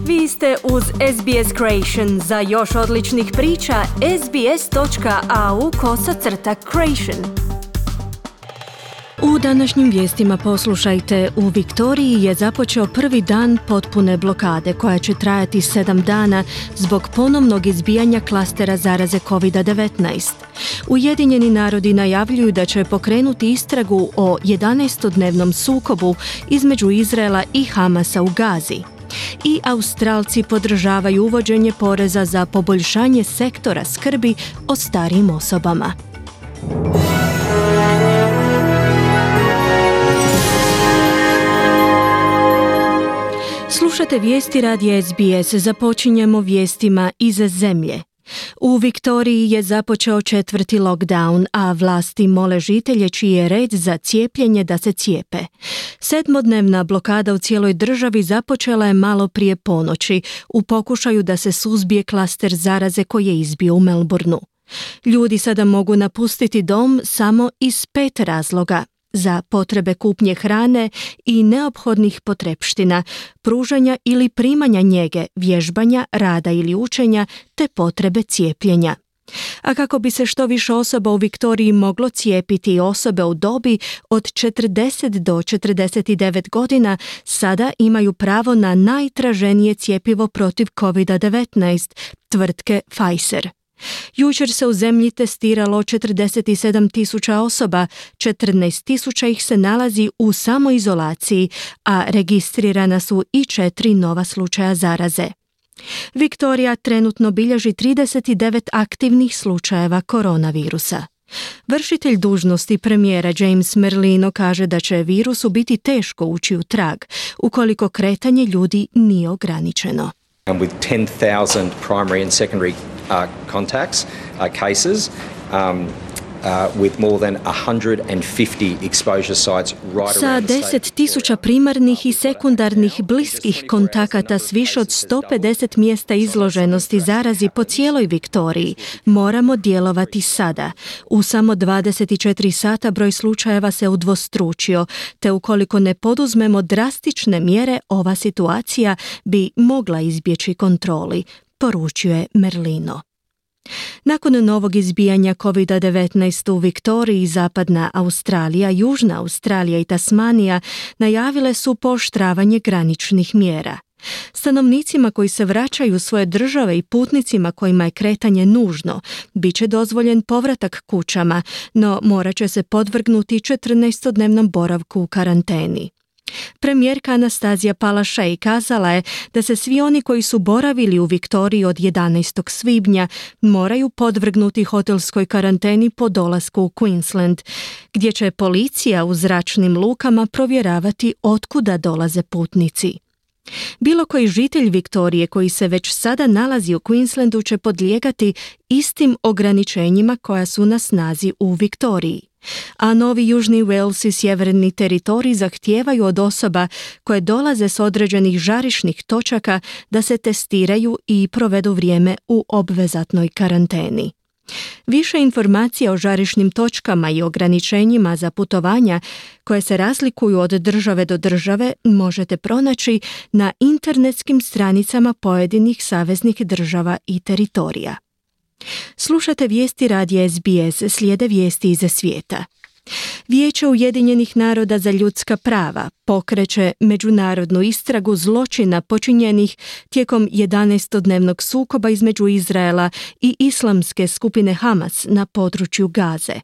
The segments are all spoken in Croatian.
Vi ste uz SBS Creation. Za još odličnih priča, sbs.au/creation. U današnjim vijestima poslušajte, u Viktoriji je započeo prvi dan potpune blokade koja će trajati 7 dana zbog ponovnog izbijanja klastera zaraze COVID-19. Ujedinjeni narodi najavljuju da će pokrenuti istragu o 11-dnevnom sukobu između Izraela i Hamasa u Gazi. I Australci podržavaju uvođenje poreza za poboljšanje sektora skrbi o starijim osobama. Slušate vijesti radija SBS. Započinjemo vijestima iz zemlje. U Viktoriji je započeo 4. lockdown, a vlasti mole žitelje čiji je red za cijepljenje da se cijepe. 7-dnevna blokada u cijeloj državi započela je malo prije ponoći u pokušaju da se suzbije klaster zaraze koji je izbio u Melbourneu. Ljudi sada mogu napustiti dom samo iz 5 razloga: za potrebe kupnje hrane i neophodnih potrepština, pružanja ili primanja njege, vježbanja, rada ili učenja te potrebe cijepljenja. A kako bi se što više osoba u Viktoriji moglo cijepiti, osobe u dobi od 40 do 49 godina sada imaju pravo na najtraženije cjepivo protiv COVID-19 tvrtke Pfizer. Jučer se u zemlji testiralo 47.000 osoba, 14.000 ih se nalazi u samoizolaciji, a registrirana su i 4 nova slučaja zaraze. Viktorija trenutno bilježi 39 aktivnih slučajeva koronavirusa. Vršitelj dužnosti premijera James Merlino kaže da će virusu biti teško ući u trag ukoliko kretanje ljudi nije ograničeno. And with 10,000 primary and secondary contacts, cases, with more than 150 exposure sites right Sa around the state. 10.000 primarnih i sekundarnih bliskih kontakata s više od 150 mjesta izloženosti zarazi po cijeloj Viktoriji moramo djelovati sada. U samo 24 sata broj slučajeva se udvostručio, te ukoliko ne poduzmemo drastične mjere, ova situacija bi mogla izbjeći kontroli, poručuje Merlino. Nakon novog izbijanja COVID-19 u Viktoriji, Zapadna Australija, Južna Australija i Tasmanija najavile su pooštravanje graničnih mjera. Stanovnicima koji se vraćaju u svoje države i putnicima kojima je kretanje nužno, bit će dozvoljen povratak kućama, no morat će se podvrgnuti 14-dnevnom boravku u karanteni. Premijerka Anastazija Palaszczuk kazala je da se svi oni koji su boravili u Viktoriji od 11. svibnja moraju podvrgnuti hotelskoj karanteni po dolasku u Queensland, gdje će policija u zračnim lukama provjeravati otkuda dolaze putnici. Bilo koji žitelj Viktorije koji se već sada nalazi u Queenslandu će podlijegati istim ograničenjima koja su na snazi u Viktoriji. A Novi Južni Wales i Sjeverni teritorij zahtijevaju od osoba koje dolaze s određenih žarišnih točaka da se testiraju i provedu vrijeme u obvezatnoj karanteni. Više informacija o žarišnim točkama i ograničenjima za putovanja koje se razlikuju od države do države možete pronaći na internetskim stranicama pojedinih saveznih država i teritorija. Slušate vijesti radija SBS, slijede vijesti iz svijeta. Vijeće Ujedinjenih naroda za ljudska prava pokreće međunarodnu istragu zločina počinjenih tijekom 11-dnevnog sukoba između Izraela i islamske skupine Hamas na području Gaze.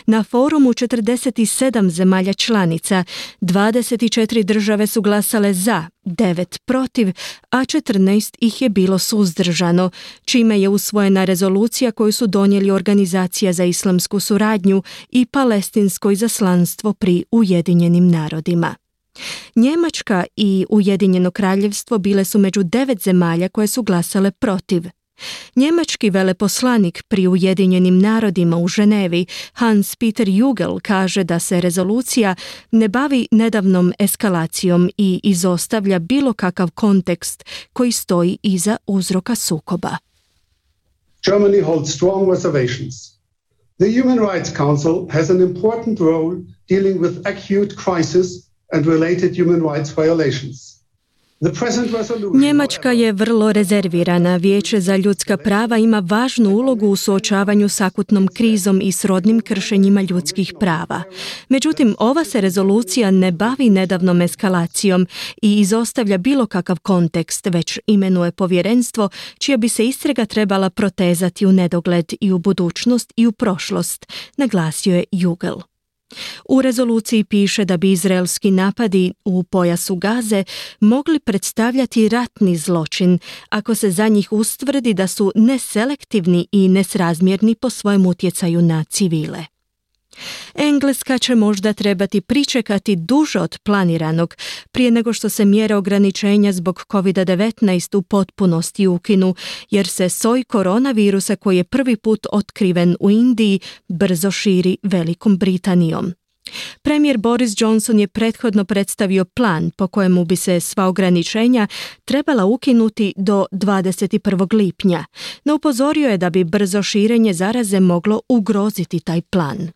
Na forumu 47 zemalja članica, 24 države su glasale za, 9 protiv, a 14 ih je bilo suzdržano, čime je usvojena rezolucija koju su donijeli Organizacija za islamsku suradnju i Palestinsko izaslanstvo pri Ujedinjenim narodima. Njemačka i Ujedinjeno kraljevstvo bile su među 9 zemalja koje su glasale protiv. Njemački veleposlanik pri Ujedinjenim narodima u Ženevi, Hans-Peter Jugel, kaže da se rezolucija ne bavi nedavnom eskalacijom i izostavlja bilo kakav kontekst koji stoji iza uzroka sukoba. Germany holds strong reservations. The Human Rights Council has an important role dealing with acute crisis and related human rights violations. Njemačka je vrlo rezervirana. Vijeće za ljudska prava ima važnu ulogu u suočavanju s akutnom krizom i srodnim kršenjima ljudskih prava. Međutim, ova se rezolucija ne bavi nedavnom eskalacijom i izostavlja bilo kakav kontekst, već imenuje povjerenstvo čija bi se istraga trebala protezati u nedogled i u budućnost i u prošlost, naglasio je Jugel. U rezoluciji piše da bi izraelski napadi u pojasu Gaze mogli predstavljati ratni zločin ako se za njih ustvrdi da su neselektivni i nesrazmjerni po svojem utjecaju na civile. Engleska će možda trebati pričekati duže od planiranog prije nego što se mjere ograničenja zbog COVID-19 u potpunosti ukinu, jer se soj koronavirusa koji je prvi put otkriven u Indiji brzo širi Velikom Britanijom. Premijer Boris Johnson je prethodno predstavio plan po kojemu bi se sva ograničenja trebala ukinuti do 21. lipnja, no upozorio je da bi brzo širenje zaraze moglo ugroziti taj plan.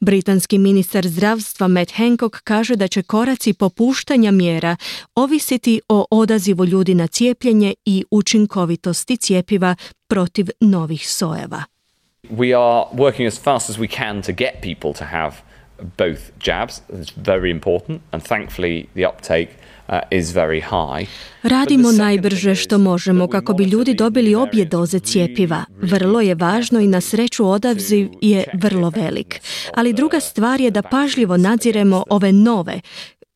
Britanski ministar zdravstva Matt Hancock kaže da će koraci popuštanja mjera ovisiti o odazivu ljudi na cijepljenje i učinkovitosti cjepiva protiv novih sojeva. We are working as fast as we can to get people to have both jabs. It's very important and thankfully the uptake is very high. Radimo najbrže što možemo kako bi ljudi dobili obje doze cjepiva. Vrlo je važno i na sreću odaziv je vrlo velik. Ali druga stvar je da pažljivo nadziremo ove nove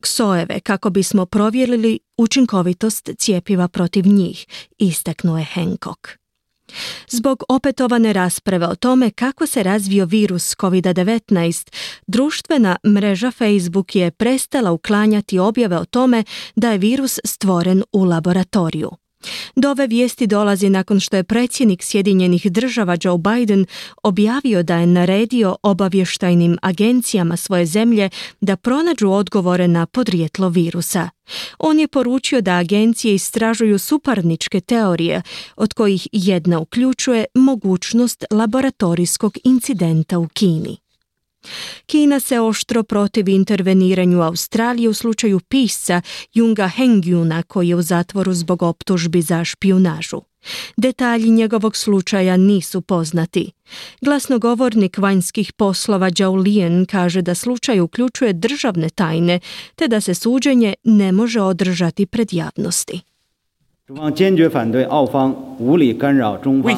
sojeve kako bismo provjerili učinkovitost cjepiva protiv njih, istaknuo je Hancock. Zbog opetovane rasprave o tome kako se razvio virus COVID-19, društvena mreža Facebook je prestala uklanjati objave o tome da je virus stvoren u laboratoriju. Do ove vijesti dolazi nakon što je predsjednik Sjedinjenih Država Joe Biden objavio da je naredio obavještajnim agencijama svoje zemlje da pronađu odgovore na podrijetlo virusa. On je poručio da agencije istražuju suparničke teorije, od kojih jedna uključuje mogućnost laboratorijskog incidenta u Kini. Kina se oštro protivi interveniranju Australije u slučaju pisca Junga Hengjuna koji je u zatvoru zbog optužbi za špijunažu. Detalji njegovog slučaja nisu poznati. Glasnogovornik vanjskih poslova Zhao Liyan kaže da slučaj uključuje državne tajne te da se suđenje ne može održati pred javnosti. We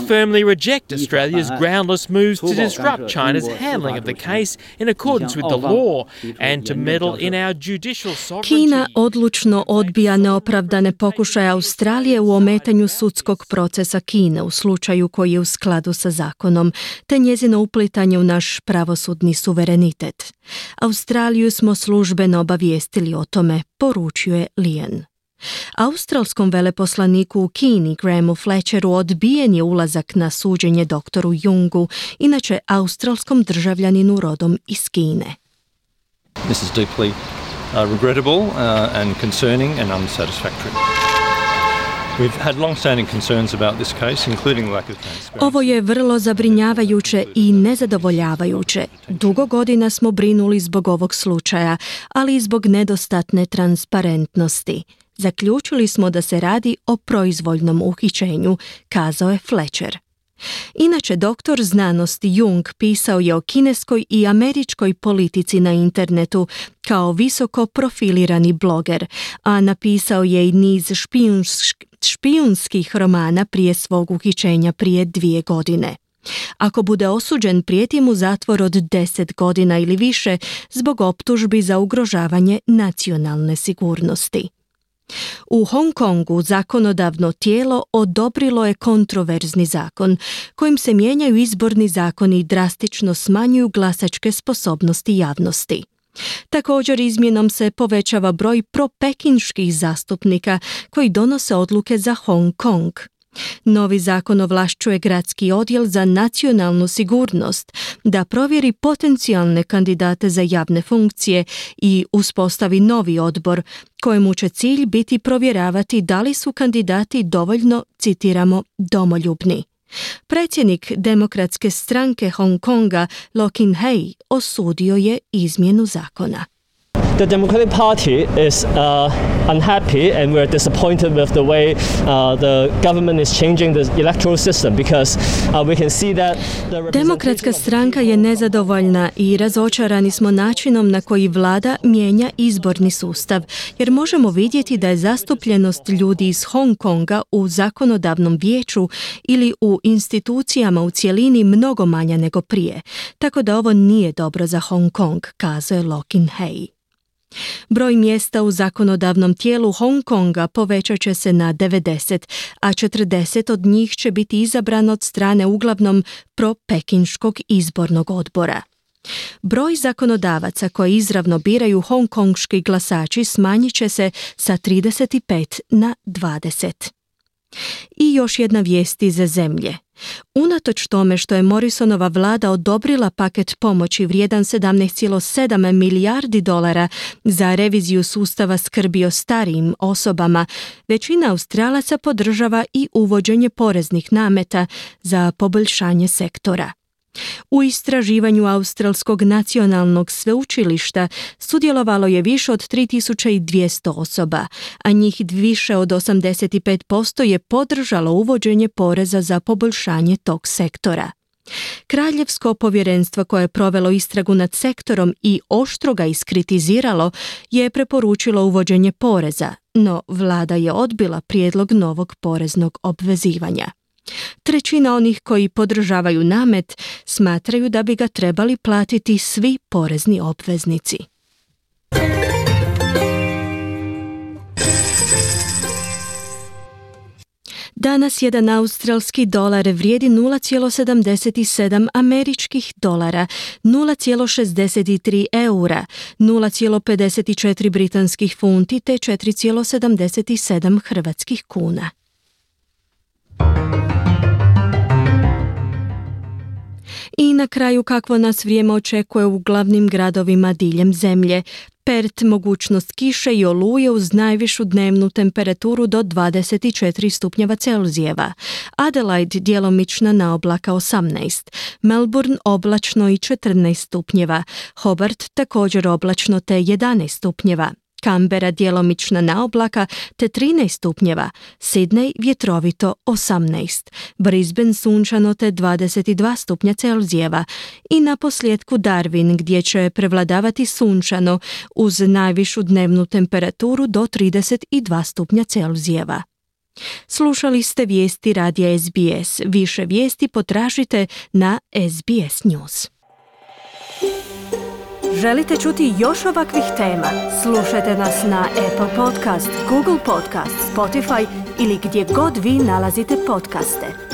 firmly reject Australia's groundless moves to disrupt China's handling of the case in accordance with the law and to meddle in our judicial sovereignty. Kina odlučno odbija neopravdane pokušaje Australije u ometanju sudskog procesa Kine u slučaju koji je u skladu sa zakonom, te njezino uplitanje u naš pravosudni suverenitet. Australiju smo službeno obavijestili o tome, poručio je Liyan. Australskom veleposlaniku u Kini, Grahamu Fletcheru, odbijen je ulazak na suđenje doktoru Jungu, inače australskom državljaninu rodom iz Kine. This is deeply regrettable and concerning and unsatisfactory. We've had long-standing concerns about this case, including lack of transparency. Ovo je vrlo zabrinjavajuće i nezadovoljavajuće. Dugo godina smo brinuli zbog ovog slučaja, ali i zbog nedostatne transparentnosti. Zaključili smo da se radi o proizvoljnom uhićenju, kazao je Fletcher. Inače, doktor znanosti Jung pisao je o kineskoj i američkoj politici na internetu kao visoko profilirani bloger, a napisao je i niz špijunskih romana prije svog uhićenja prije 2 godine. Ako bude osuđen, prijeti mu zatvor od 10 godina ili više zbog optužbi za ugrožavanje nacionalne sigurnosti. U Hong Kongu zakonodavno tijelo odobrilo je kontroverzni zakon kojim se mijenjaju izborni zakoni i drastično smanjuju glasačke sposobnosti javnosti. Također izmjenom se povećava broj propekinških zastupnika koji donose odluke za Hong Kong. Novi zakon ovlašćuje gradski odjel za nacionalnu sigurnost da provjeri potencijalne kandidate za javne funkcije i uspostavi novi odbor kojemu će cilj biti provjeravati da li su kandidati dovoljno, citiramo, domoljubni. Predsjednik Demokratske stranke Hong Konga, Lo Kin-hei, osudio je izmjenu zakona. The Democratic Party is unhappy and we're disappointed with the way the government is changing the electoral system because we can see that Demokratska stranka je nezadovoljna i razočarani smo načinom na koji vlada mijenja izborni sustav, jer možemo vidjeti da je zastupljenost ljudi iz Hong Konga u zakonodavnom vijeću ili u institucijama u cjelini mnogo manja nego prije, tako da ovo nije dobro za Hong Kong, kazuje Lokin Hei. Broj mjesta u zakonodavnom tijelu Hong Konga povećat će se na 90, a 40 od njih će biti izabrano od strane uglavnom pro-pekinškog izbornog odbora. Broj zakonodavaca koji izravno biraju hongkonški glasači smanjit će se sa 35 na 20. I još jedna vijest iz zemlje. Unatoč tome što je Morrisonova vlada odobrila paket pomoći vrijedan 17,7 milijardi dolara za reviziju sustava skrbi o starijim osobama, većina Australaca podržava i uvođenje poreznih nameta za poboljšanje sektora. U istraživanju Australskog nacionalnog sveučilišta sudjelovalo je više od 3200 osoba, a njih više od 85% je podržalo uvođenje poreza za poboljšanje tog sektora. Kraljevsko povjerenstvo koje je provelo istragu nad sektorom i oštro ga iskritiziralo je preporučilo uvođenje poreza, no vlada je odbila prijedlog novog poreznog obvezivanja. Trećina onih koji podržavaju namet smatraju da bi ga trebali platiti svi porezni obveznici. Danas jedan australski dolar vrijedi 0,77 američkih dolara, 0,63 eura, 0,54 britanskih funti te 4,77 hrvatskih kuna. I na kraju kakvo nas vrijeme očekuje u glavnim gradovima diljem zemlje. Perth mogućnost kiše i oluje uz najvišu dnevnu temperaturu do 24 stupnjeva Celzijeva. Adelaide djelomična naoblaka 18. Melbourne oblačno i 14 stupnjeva. Hobart također oblačno te 11 stupnjeva. Canberra djelomična naoblaka te 13 stupnjeva, Sydney vjetrovito 18, Brisbane sunčano te 22 stupnja Celzijeva i na posljedku Darwin gdje će prevladavati sunčano uz najvišu dnevnu temperaturu do 32 stupnja Celzijeva. Slušali ste vijesti radija SBS. Više vijesti potražite na SBS News. Želite čuti još ovakvih tema? Slušajte nas na Apple Podcast, Google Podcast, Spotify ili gdje god vi nalazite podcaste.